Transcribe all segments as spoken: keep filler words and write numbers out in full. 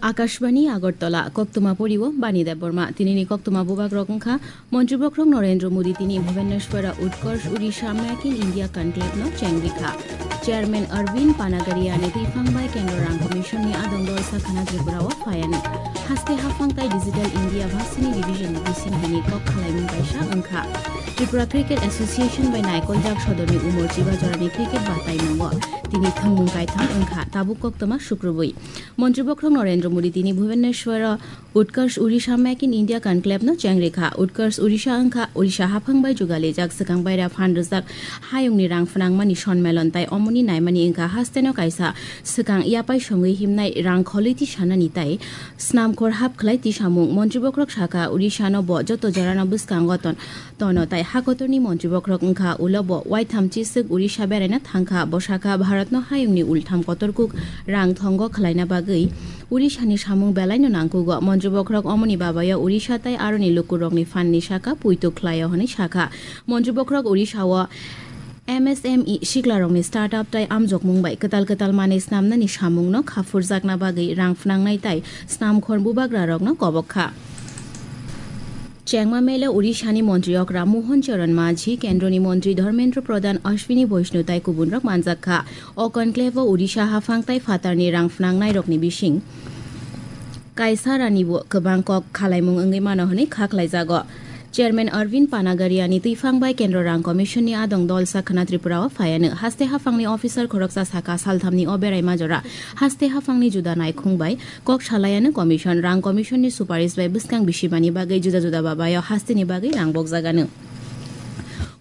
Akashbani Agartala, koktwma poriwo Bani Debbarma. Tinini koktwma bubagrok wngkha, Montri Bokhorok Narendra Modi tini Bhubaneswara Utkarsh Odisha Make in India Conclave no chengrikha. Chairman Arvind Panagaria ni twiphang bai Kendra Rang Commission ni adong dol sakhana Tripura o phaiani. Haste haphang tai Digital India bhasini division ni bising bini kok khalaimung kaisa wngkha. Tripura Cricket Association bai naikoljak sodorni umor chiba jorani cricket batai nungo. Tini thwngmung kaitham wngkha, tabuk koktwma sukrubui. Montri Bokhorok Narendra Modi tini Bhubaneswar o Utkarsh Odisha Make in India Conclave no chengrikha. Utkarsh Odisha wngkha Odisha haphang bai jugalijak swkang baira phan rwjak hayungni rang phnangmani sonmelon tai omoni naimani wngkha hasteno kaisa swkang yapai songwi himnai rang kholwi tisanani tai snamkhor hap khlai tisamung. Montri Bokhorok sakha, Odisha no bo joto jorano bwskango ton tono tai hakotorni Montri Bokhorok wngkha, ulo bo waitham chiswk Odisha beraina thangkha. Bo sakha, Bharatno hayungni ultham kotor kuk rang thongo khwlaina bagwi Odishani samung belaino nangkugo. Montri Bokhorok omoni babayo Odisha tai aroni lukurokni phanni saka puitu khlaio hwnwi sakha. Montri Bokhorok Odisha o M S M E siklarokni startup tai amjokmung bai kwtal kwtal manwi snamnani samungno khaphurjakna bagwi rang phnangnai tai snamkhor bubagrarokno kobok kha. Chengma mele Odishani Montri okra Mohan Charan Majhi, Kendroni Montri Dharmendra Pradhan, Ashwini Vaishnaw tai kubunrok manjak kha. O conclave o Odisha haphang tai phatarni rang phnangnairokni bising kaisa ranibo kwbang kok khalaimung wngwi mano hwnwi kha khlaijago. Chairman Arvind Panagariani twiphang bai Kendra Rang Commission ni adong dol sakhana Tripura o phaiano haste haphangni officer khoroksa sakha salthamni o beraima jora haste haphangni juda naikhung bai kok salaiano commission, rang commission ni suparis bai bwskang bisibani bagwi juda juda babayo hasteni bagwi rang bokjagano.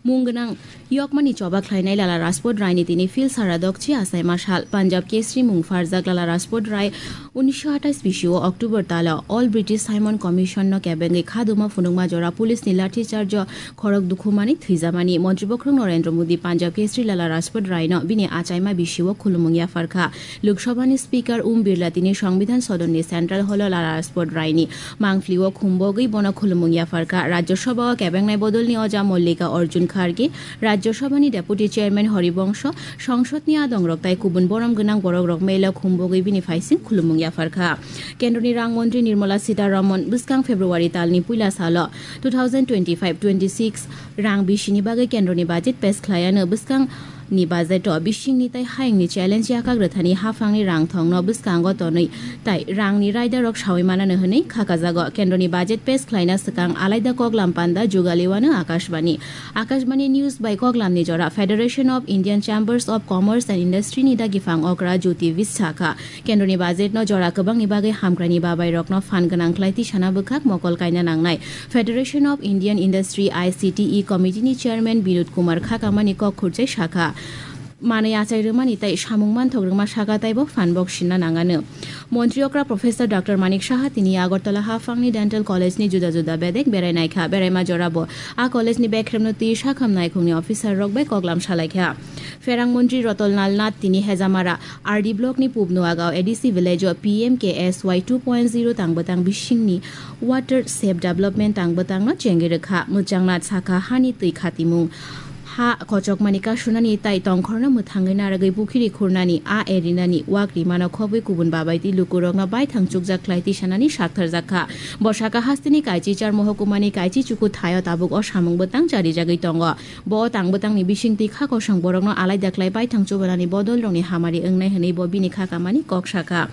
Mung gwnang yokmani choba khlainai Lala Rajput Rai ni tini phil sara dokchi achaima sal. Punjab Kesri mung pharjak Lala Rajput Rai unisho athais bisio October talo All British Simon Commission no kebengwi khaduma phunukma jora police ni lathi charge o khorok dukhumani thwijamani. Montri Bokhorok Narendra Modi Punjab Kesri Lala Rajput Rai no bini achaima bisio khulumung yapharkha. Lok Sabha ni Speaker Om Birla tini Songbidan Sodon ni Central Hall o Lala Rajput Rai ni mangpli o khumbogwi bono khulumung yapharkha. Rajya Sabha o kebengnai bodol ni oja Mallika Arjun Kharge, Rajya Sabha ni Deputy Chairman Haribansho, Songsod ni adongrok tai kubun borom gwnang borokrok melo khumbogwi bini phaising khulumung yapharkha. Kendroni Rang Montri Nirmala Sitharaman bwskang February talni puila salo two thousand twenty-five twenty-six rang bisini bagwi kendroni budget pass khlaiano. Bwskang ni budget o bisingni tai hayungni challenge yakak rwthani haphangni rang thongno bwskango tonwi tai rangni raidarok sawi manano hwnwi khakajago. Kendroni budget pass khlaina swkang alaida koklam panda jugaliwano Akashbani. Akashbani News bai koklamni jora Federation of Indian Chambers of Commerce and Industry ni dagiphang okra Jyoti Vishakha kendroni budget no jora kwbangni bagwi hamkraini babairokno phan gwnang khlai tisana bwkhak mokol kaina nangnai. Federation of Indian Industry, I C T E, Committee ni Chairman Binod Kumar Khakamani kok khurchai sakha, manwi achai rwmani tai samung manthok rwma saka taibo phan bok sinna nangano. Montri okra Professor Doctor Manik Saha tini Agartala haphangni Dental College ni juda juda bedek berai naikha. Beraima jorabo a college ni bekremno twi sakham naikhungni officer rok bai koklam salaikha. Pherang Montri Ratan Lal Nath tini Hejamara R D block ni Pub Nuagaon A D C village o P M K S Y two point zero tang bwtang bisingni Water Shape Development tang bwtangno chengwi rwkha. Mwchangnath sakha hani twi khatimung, ha kochokmani kasunani tai tongkhorno mwthangwi narwgwi pukhiri khurnani, a erinani, wak rimano khobwi kubun babaitwi lukurokno baithang chukjak khlai tisanani saktharjak kha. Bo saka hasteni Kaichi char mohokumani Kaichi chuku thaio tabuk o samung bwtang charijagwi tongo. Bo tang bwtangni bisingtwi kha kosong borokno alaida khlai baithang chubanani bodolrokni hamari wngnai hwnwi bo bini kha kamani kok sakha.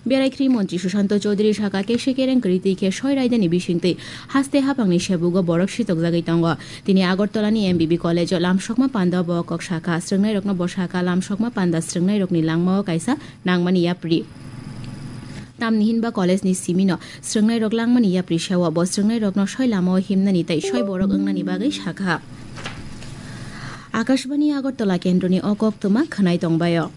Beraikhri Montri Sushanta Chowdhury sakha, kese kereng kwrwi twi khe soi raidani bisingtwi haste haphangni sebugo borok sitokjagwi tongo. Tini Agartalani M B B College o lamsokma panda bo kok sakha. Srwngnairokno bo sakha, lamsokma panda srwngnairokni langmao kaisa nangmani yapri. Tamni hinba college ni simino srwngnairok langmani yapri sewo. Bo srwngnairokno soi lamao himnani tei soi borok wngnani bagwi sakha. Akashbani Agartala kendroni o koktwma khwnai tongbaio.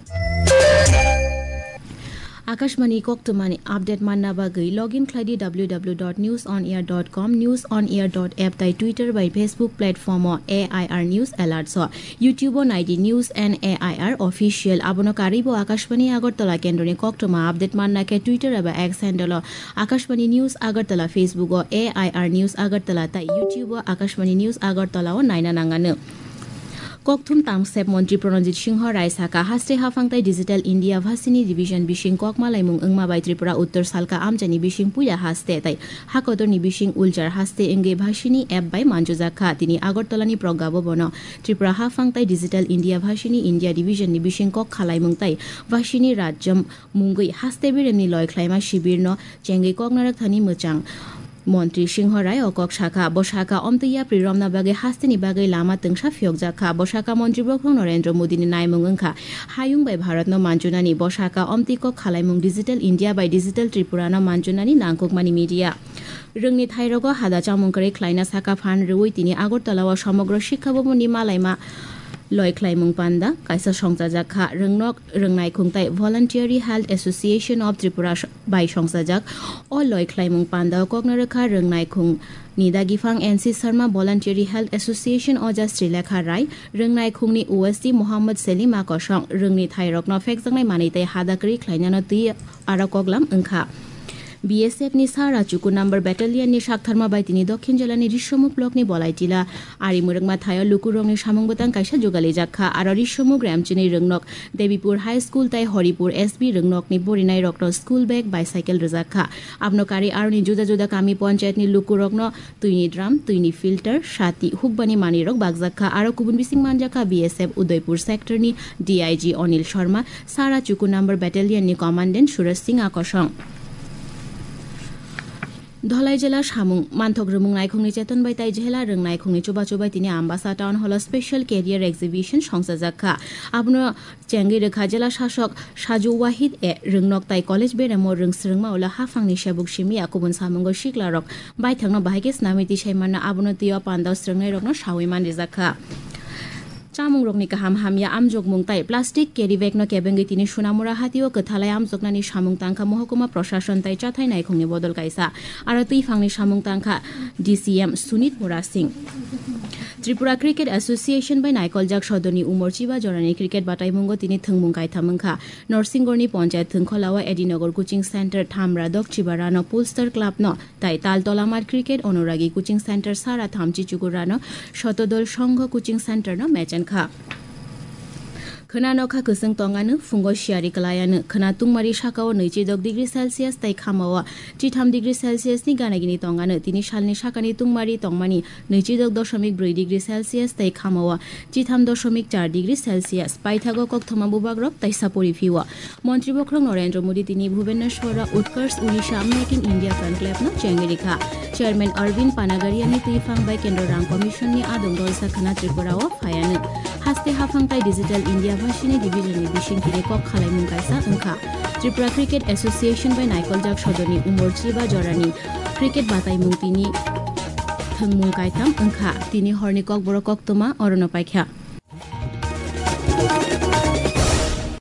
Akashbani koktwmani update manna bagwi login khlaidi W W W dot news on air dot com, news on air dot app tai Twitter bai Facebook platform o A I R News Alerts o. YouTube o naidi News and A I R Official. Abono karwi bo Akashbani Agartala kendroni koktwma update manna khe Twitter eba X handle o Akashbani News Agartala, Facebook o A I R News Agartala tai YouTube o Akashbani News Agartala o naina nangano. Kokthum Tamsep Montri Pranajit Singho Rai saka, haste haphang tai Digital India Vasini Division bising kok malaimung wngma bai Tripura Uttor salka amchaini bising puila haste tai hakotorni bising ulchar haste wngwi Vasini app bai manjujak kha. Tini Agartala ni Pragya Bhavan o Tripura haphang tai Digital India Vasini India Division ni bising kok khalaimung tai Vasini Rajyam mungwi haste beremni loi khlaima shibir no chengwi kok narwk thani mwchang. Montri Singho Rai o kok sakha, bo sakha omtwi yapri romna bagwi hasteni bagwi lama twngsa phiyokjak kha. Bo sakha Montri Bokhorok Narendra Modi ni naimung wngkha hayung bai Bharat no manchunani. Bo sakha omtwi kok khalaimung Digital India bai Digital Tripura no manchunani nangkukmani media. Rwngni thairogo hada chamung kwrwi khlaina sakha phan rwui tini Agartala o Somogro Shikkha Bhavan ni malaima loi khlaimung panda kaisa songchajak kha. Rwngnok Rwngnai Khungtai Voluntary Health Association of Tripura bai songchajak. O loi khlaimung pandao kokno rwkha Rwngnai Khung ni dagiphang N C Sharma, Voluntary Health Association Oja Srilekha Rai, Rwngnai Khungni O S D Mohammad Selim Akosong. Rwngni thairokno phekjaknai manwi tei hada kwrwi khlainano twi aro koklam wngkha. B S F ni Sara Chuku number battalion ni saktharma bai tini Dokhin jela ni Risomuk block ni Bolaitila Ari Mwrwkma thaio lukurokni samung bwtang kaisa jugalijak kha. Aro Risomuk Remchini Rwngnok Debipur High School tai Horipur S B Rwngnokni borinairokno school bag, bicycle rwjak kha. Abono karwi aroni juda juda kami ponchayatni lukurokno twini drum, twini filter, sati, hukbani manwirok bakjak kha. Aro kubun bising manjak kha B S F Udaipur sector ni D I G Anil Sharma, Sara Chuku number battalion ni commandant Suraj Singh Akosong. Dholai jela samung manthok rwmung naikhungni cheton bai tai jela rwng naikhungni chubachu bai tini Ambasa Town Hall o special career exhibition songchajak kha. Abono chengwi rwkha jela sasok Saju Wahid e. Rwngnok tai college beremo rwng swrwngma ulo haphangni sebuk simi ya kubun samungo siklarok baithangno bahai khe snamwi tisai manna, abono twiwi pandao swrwngnairokno sawi manrijak kha. Chamungrokni kaham hamya amjokmung tai plastic carry bag no kebengwi tini Sunamura hatio kwthalai amjoknani samung tangkha mohokuma proshashon tai chathai naikhungni bodol kaisa. Aro twiphangni samung tangkha D C M Sunit Mura Singh. Tripura Cricket Association bai naikoljak sodorni Umorchiba jorani cricket bataimungo tini thwngmung kaitham wngkha. Norsingorni ponchayat thwngkholao Edinagar Coaching Center Thamra Dokchiba Rano Polestar Club no tai Taltolamar Cricket Onuragi Coaching Center Sara Thamchi Chukurano Shotodol Songho Coaching Center no mechen kha. Khwna nokha kwchwng tongano, phungo siyari kwlayano, khwna tungmari sakao nwichidok degree Celsius tai khamao chitham degree Celsius ni gana gini tongano, tini salni sakani tungmari tongmani nwichidok dosomik brwi degree Celsius tai khamao chitham dosomik char degree Celsius. Paithago kokthoma bubagrok taisa pori phio. Montri Bokhorok Narendra Modi tini Bhubaneswar o Utkarsh Odisha Make in India Conclave no chengwi rikha. Chairman Arvind Panagariani twiphang bai Kendra Rang Commission ni adong dolsa khwna Tripura o phaiano. Haste haphang tai Digital India Vasini Division ni bising tini kok khalaimung kaisa wngkha. Tripura Cricket Association bai naikoljak sodorni Umorchiba jorani cricket bataimung tini thwngmung kaitham wngkha. Tini horni kokborok koktwma orono paikha.